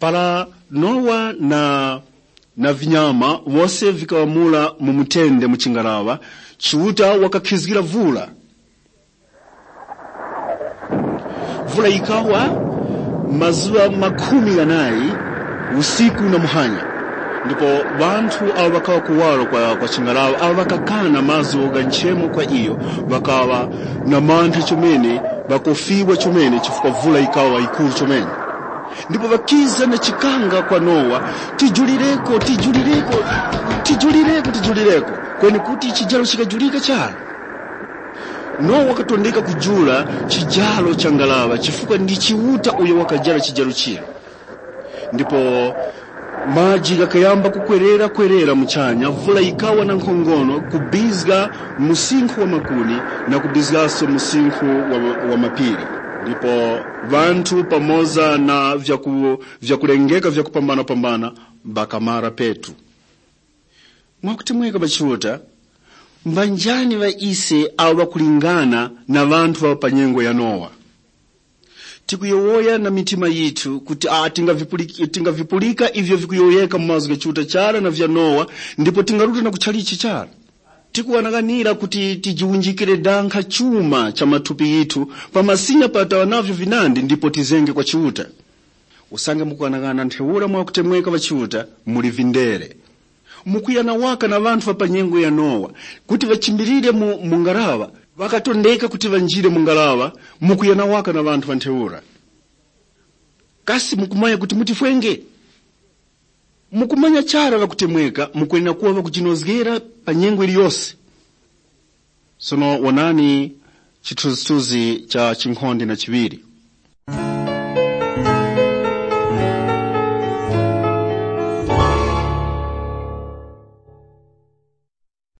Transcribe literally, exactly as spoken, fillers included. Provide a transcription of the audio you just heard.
Para Nowa na, na vinyama wose vikaŵamula mu mutende mu chingaraŵa, Chiuta wakakhizgira vula. Vula yikawa mazuŵa makhumi ghanayi, usiku na muhanya. Ndipo ŵanthu awo ŵakaŵa kuwaro kwa, kwa chingaraŵa, awo ŵakakana mazgu gha nchemo kwa iyo, ŵakaŵa na mantha chomene, ŵakofiwa chomene, chifukwa vula yikaŵa yikuru chomene. Ndipo ŵakiza na chikanga kwa Nowa, tijulireko, tijulireko, tijulireko, tijulireko. Kweni kuti chijaro chikajulika chara. Nowa wakatondeka kujula chijaro cha ngaraŵa chifukwa ndi Chiuta uyo wakajara chijaro chira. Ndipo maji ghakayamba kukwerera-kwerera muchanya, vula yikawa na nkhongono kubizga msinkhu wa makuni na kubizgaso msinkhu wa, wa mapiri. Ndipo ŵanthu pamoza na vyaku, vyakulengeka vyakupambana-pambana ŵakamara petu. Mwakutemweka pa Chiuta, mbanjani ŵa ise awo ŵakulingana na ŵanthu ŵa pa nyengo ya Nowa? Tikuyowoya na mitima yithu kuti a tingavipulika, tingavipulika ivyo vikuyowoyeka mu mazgu gha Chiuta chara na vya Nowa, ndipo tingaruta na kuchalichi chara. Tikughanaganira kuti tijiwunjikire dankha chuma cha mathupi yithu pamasinya pataŵa navyo vinandi ndipo tizenge kwa Chiuta. Usange mukughanaghana ntheura mwakutemweka ŵa Chiuta, muli vindere. Mukuya na waka na ŵanthu ŵa pa nyengo ya Nowa kuti ŵachimbilire mu, mu ngaraŵa, ŵakatondeka kuti ŵanjire mu ngaraŵa, mukuya na waka na ŵanthu ŵa ntheura. Kasi mukumanya kuti mutifwenge? Mukumanya chara ŵakutemweka mukwenera kuŵa ŵakujinozgera pa nyengo yiliyose. Sono wonani chithunzithunzi cha chinkhonde na chiŵiri.